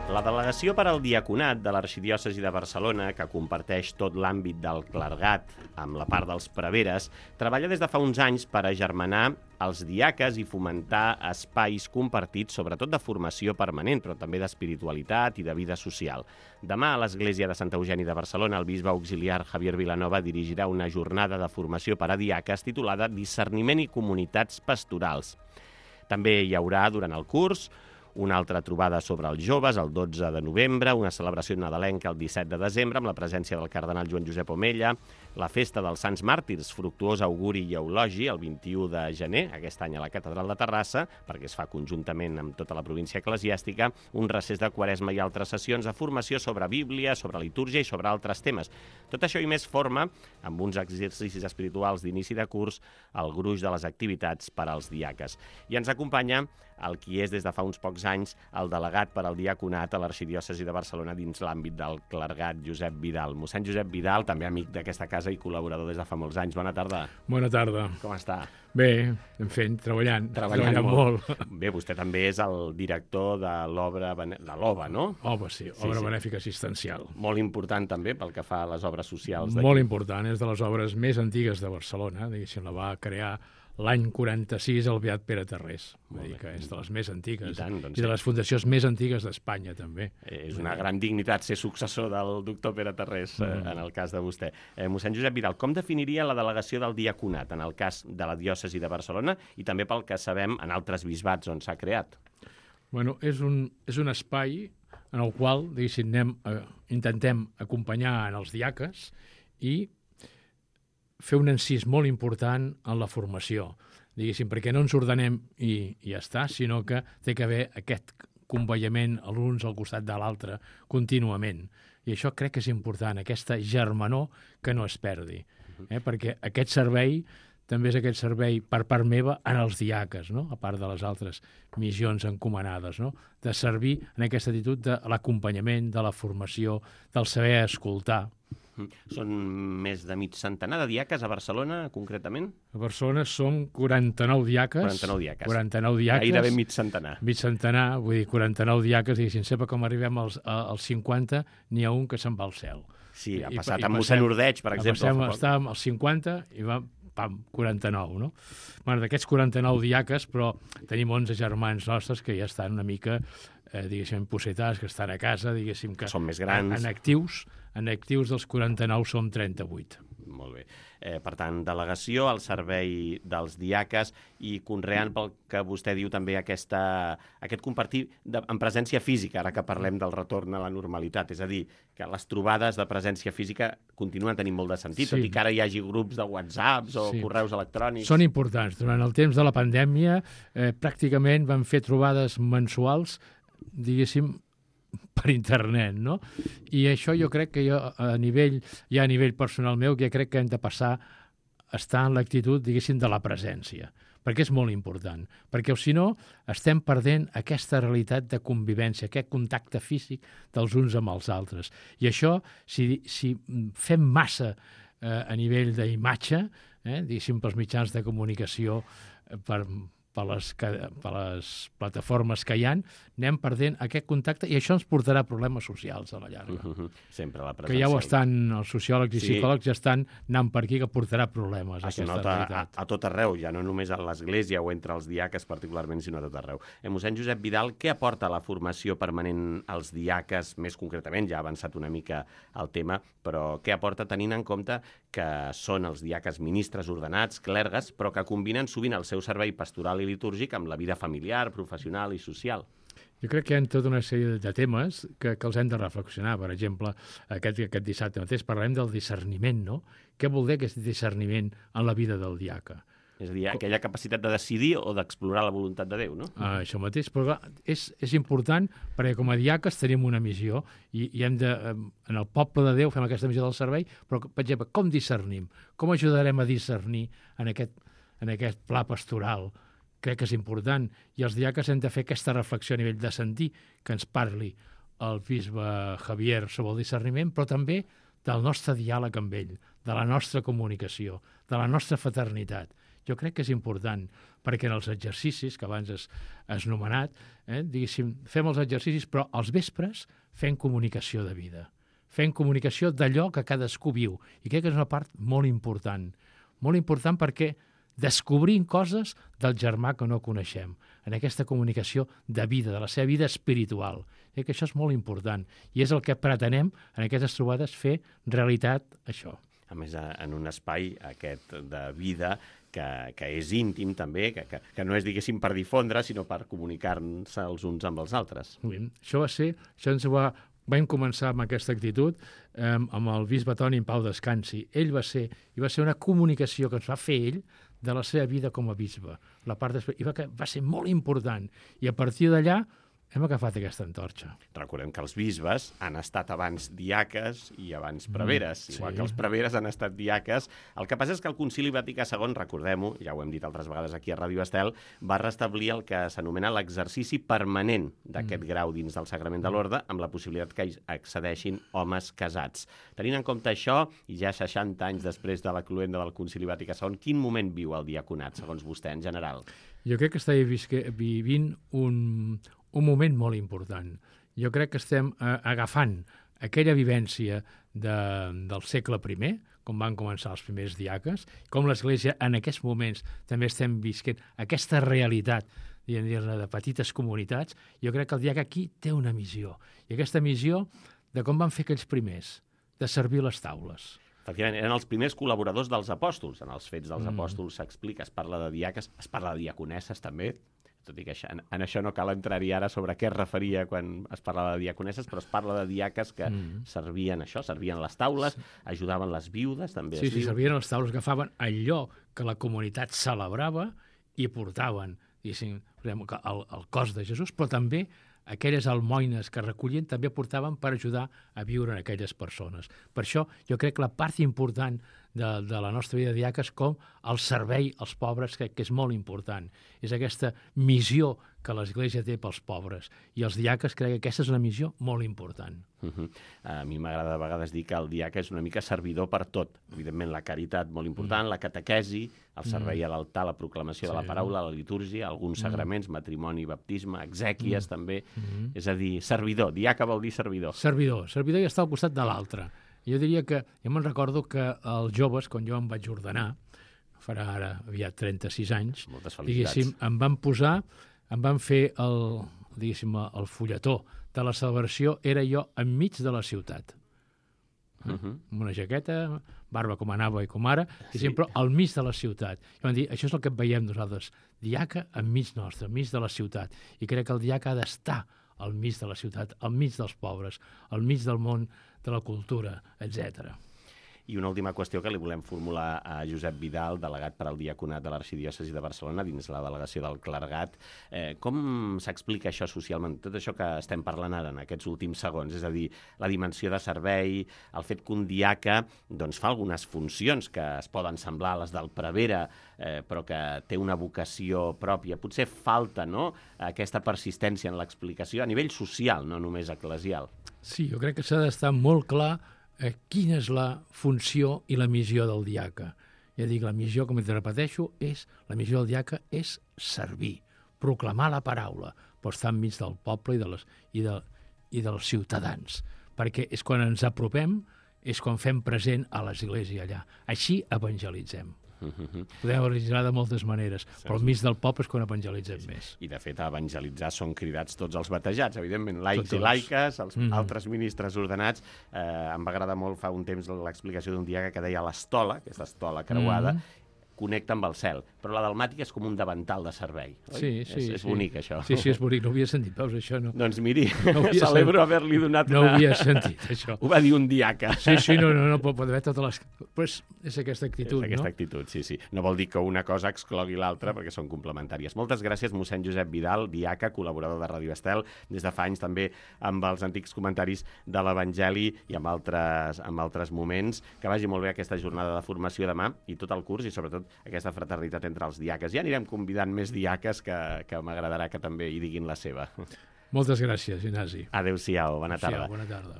La delegació per al diaconat de l'Arxidiòcesi de Barcelona, que comparteix tot l'àmbit del clergat amb la part dels preveres, treballa des de fa uns anys per agermanar els diaques i fomentar espais compartits, sobretot de formació permanent, però també d'espiritualitat i de vida social. Demà a l'Església de Sant Eugeni de Barcelona, el bisbe auxiliar Javier Vilanova dirigirà una jornada de formació per a diaques titulada Discerniment i comunitats pastorals. També hi haurà, durant el curs, una altra trobada sobre els joves el 12 de novembre, una celebració nadalenca el 17 de desembre amb la presència del cardenal Joan Josep Omella, la festa dels Sants Màrtirs, fructuós auguri i eulogi, el 21 de gener, aquest any a la Catedral de Terrassa, perquè es fa conjuntament amb tota la província eclesiàstica, un recés de Quaresma i altres sessions de formació sobre Bíblia, sobre litúrgia i sobre altres temes. Tot això i més forma, amb uns exercicis espirituals d'inici de curs, el gruix de les activitats per als diaques. I ens acompanya el qui és des de fa uns pocs anys el delegat per al diaconat a l'Arxidiòcesi de Barcelona dins l'àmbit del clergat, Josep Vidal. Mossèn Josep Vidal, també amic d'aquesta casa i col·laborador des de fa molts anys. Bona tarda. Bona tarda. Com està? Bé, en fent, treballant molt. Bé, vostè també és el director de l'obra de l'OBA, no? OBA, sí, Obra Benèfica Assistencial. Molt important també pel que fa a les obres socials d'aquí. Molt important, és de les obres més antigues de Barcelona, diguéssim, la va crear l'any 46 el beat Pere Tarrés, que és de les més antigues, i de les fundacions més antigues d'Espanya, també. És una gran dignitat ser successor del doctor Pere Tarrés, en el cas de vostè. Mossèn Josep Vidal, com definiria la delegació del diaconat en el cas de la diòcesi de Barcelona i també pel que sabem en altres bisbats on s'ha creat? Bueno, és un espai en el qual, diguéssim, intentem acompanyar en els diaques i fer un encís molt important en la formació, diguéssim, perquè no ens ordenem i ja està, sinó que té que haver aquest conveiament l'un al costat de l'altre contínuament. I això crec que és important, aquesta germanor que no es perdi, perquè aquest servei també és aquest servei per part meva en els diaques, no? A part de les altres missions encomanades, no? De servir en aquesta actitud de l'acompanyament, de la formació, del saber escoltar. Són més de mig centenar de diaques a Barcelona, concretament? A Barcelona són 49 diaques. 49 diaques. 49 diaques. Gairebé mig centenar. Mig centenar, vull dir, 49 diaques, i sempre com arribem als 50, n'hi ha un que se'n va al cel. Sí, ha passat amb mossèn Ordeig, per exemple. Estàvem als 50 i va, 49, no? Bueno, d'aquests 49 diaques, però tenim 11 germans nostres que ja estan una mica, diguéssim, possetats, que estan a casa, diguéssim, que són més grans. En actius dels 49 som 38. Molt bé. Per tant, delegació al servei dels diaques i conreant pel que vostè diu també aquest compartir en presència física, ara que parlem del retorn a la normalitat. És a dir, que les trobades de presència física continuen tenint molt de sentit, tot i que ara hi hagi grups de WhatsApps o correus electrònics. Són importants. Durant el temps de la pandèmia pràcticament vam fer trobades mensuals, diguéssim, per internet, no? I això jo crec que a nivell personal meu, que crec que hem de passar a estar en l'actitud, diguéssim, de la presència, perquè és molt important, perquè si no estem perdent aquesta realitat de convivència, aquest contacte físic dels uns amb els altres. I això, si fem massa a nivell d'imatge, diguéssim, pels mitjans de comunicació, per les plataformes que hi ha, anem perdent aquest contacte i això ens portarà problemes socials a la llarga. Sempre la presència. Que ja ho estan, els sociòlegs i psicòlegs ja estan anant per aquí, que portarà problemes. Es nota a tot arreu, ja no només a l'Església o entre els diaques particularment, sinó a tot arreu. Mossèn Josep Vidal, què aporta la formació permanent als diaques, més concretament, ja ha avançat una mica el tema, però què aporta tenint en compte que són els diaques ministres ordenats, clergues, però que combinen sovint el seu servei pastoral i litúrgic amb la vida familiar, professional i social? Jo crec que hi ha tota una sèrie de temes que els hem de reflexionar. Per exemple, aquest dissabte mateix parlem del discerniment, no? Què vol dir aquest discerniment en la vida del diaca? És a dir, aquella capacitat de decidir o d'explorar la voluntat de Déu, no? Això mateix, però és important perquè com a diaques tenim una missió i hem de, en el poble de Déu fem aquesta missió del servei, però, per exemple, com discernim? Com ajudarem a discernir en aquest pla pastoral? Crec que és important. I els diaques hem de fer aquesta reflexió a nivell de sentir que ens parli el bisbe Javier sobre el discerniment, però també del nostre diàleg amb ell, de la nostra comunicació, de la nostra fraternitat. jo crec que és important, perquè en els exercicis, que abans has nomenat, diguéssim, fem els exercicis, però als vespres fem comunicació de vida, fem comunicació d'allò que cadascú viu, i crec que és una part molt important perquè descobrim coses del germà que no coneixem, en aquesta comunicació de vida, de la seva vida espiritual. Crec que això és molt important, i és el que pretenem en aquestes trobades fer realitat això. A més, en un espai aquest de vida que és íntim també, que no és, diguéssim, per difondre, sinó per comunicar-se els uns amb els altres. Això vam començar amb aquesta actitud amb el bisbe Toni en Pau Descansi. Ell va ser una comunicació que ens va fer ell de la seva vida com a bisbe. I va ser molt important. I a partir d'allà hem agafat aquesta antorxa. Recordem que els bisbes han estat abans diaques i abans preveres, igual que els preveres han estat diaques. El que passa és que el Concili Vaticà II, recordem-ho, ja ho hem dit altres vegades aquí a Ràdio Estel, va restablir el que s'anomena l'exercici permanent d'aquest grau dins del Sagrament de l'Orde, amb la possibilitat que hi accedeixin homes casats. Tenint en compte això, i ja 60 anys després de la cloenda del Concili Vaticà II, quin moment viu el diaconat, segons vostè, en general? Jo crec que estem vivint un moment molt important. Jo crec que estem agafant aquella vivència del segle I, com van començar els primers diaques, com l'Església en aquests moments també estem visquent aquesta realitat de petites comunitats. Jo crec que el diaca aquí té una missió, i aquesta missió de com van fer aquells primers, de servir les taules. Efectivament, eren els primers col·laboradors dels apòstols. En els Fets dels Apòstols s'explica, es parla de diaques, es parla de diaconesses també, tot i que en això no cal entrar-hi ara sobre què es referia quan es parlava de diaconesses, però es parla de diaques que servien això, servien les taules, ajudaven les viudes, també. Sí, servien les taules, agafaven allò que la comunitat celebrava i portaven, el cos de Jesús, però també aquelles almoines que recollien també portaven per ajudar a viure en aquelles persones. Per això jo crec que la part important de la nostra vida de diaca és com el servei als pobres, crec que és molt important. És aquesta missió que l'Església té pels pobres. I els diaques crec que aquesta és una missió molt important. A mi m'agrada a vegades dir que el diaca és una mica servidor per tot. Evidentment, la caritat molt important, la catequesi, el servei a l'altar, la proclamació de la paraula, la litúrgia, alguns sagraments, matrimoni, baptisme, exèquies també. És a dir, servidor. Diaca vol dir servidor. Servidor i estar al costat de l'altre. Jo diria que, jo me'n recordo que els joves, quan jo em vaig ordenar, farà ara aviat 36 anys, diguéssim, em van fer el fulletó de la celebració, era jo enmig de la ciutat. Amb una jaqueta, barba com anava i com ara, i sempre al mig de la ciutat. I van dir, això és el que veiem nosaltres, diaca enmig nostre, enmig de la ciutat. I crec que el diaca ha d'estar al mig de la ciutat, al mig dels pobres, al mig del món de la cultura, etc. I una última qüestió que li volem formular a Josep Vidal, delegat per al Diaconat de l'Arxidiòcesi de Barcelona, dins la delegació del clergat. Com s'explica això socialment? Tot això que estem parlant ara en aquests últims segons, és a dir, la dimensió de servei, el fet que un diaca fa algunes funcions que es poden semblar a les del prevere, però que té una vocació pròpia. Potser falta aquesta persistència en l'explicació a nivell social, no només eclesial. Sí, jo crec que s'ha d'estar molt clar quina és la funció i la missió del diaca. Ja dic, la missió, com et repeteixo, la missió del diaca és servir, proclamar la paraula, però estar enmig del poble i dels ciutadans, perquè és quan ens apropem, és quan fem present a l'Església allà. Així evangelitzem. Podem evangelitzar de moltes maneres, però al mig del poble és quan evangelitzem més. I, de fet, a evangelitzar són cridats tots els batejats, evidentment, laics i laiques, els altres ministres ordenats. Em va agradar molt fa un temps l'explicació d'un diaca que deia l'estola, aquesta estola creuada, connecta amb el cel, però la dalmàtica és com un davantal de servei. Sí. És bonic, això. Sí, és bonic, no ho havia sentit, veus, això no. Doncs miri, celebro haver-li donat una... No ho havia sentit, això. Ho va dir un diaca. Sí, no, pot haver totes les... Pues és aquesta actitud, no? És aquesta actitud, sí. No vol dir que una cosa exclogui l'altra, perquè són complementàries. Moltes gràcies, mossèn Josep Vidal, diaca, col·laborador de Ràdio Estel, des de fa anys també amb els antics comentaris de l'Evangeli i amb altres moments. Que vagi molt bé aquesta jornada de formació demà i tot el curs, i sobretot aquesta fraternitat entre els diaques. Ja anirem convidant més diaques que m'agradarà que també hi diguin la seva. Moltes gràcies, Ignasi. Adéu-siau, bona tarda. Bona tarda.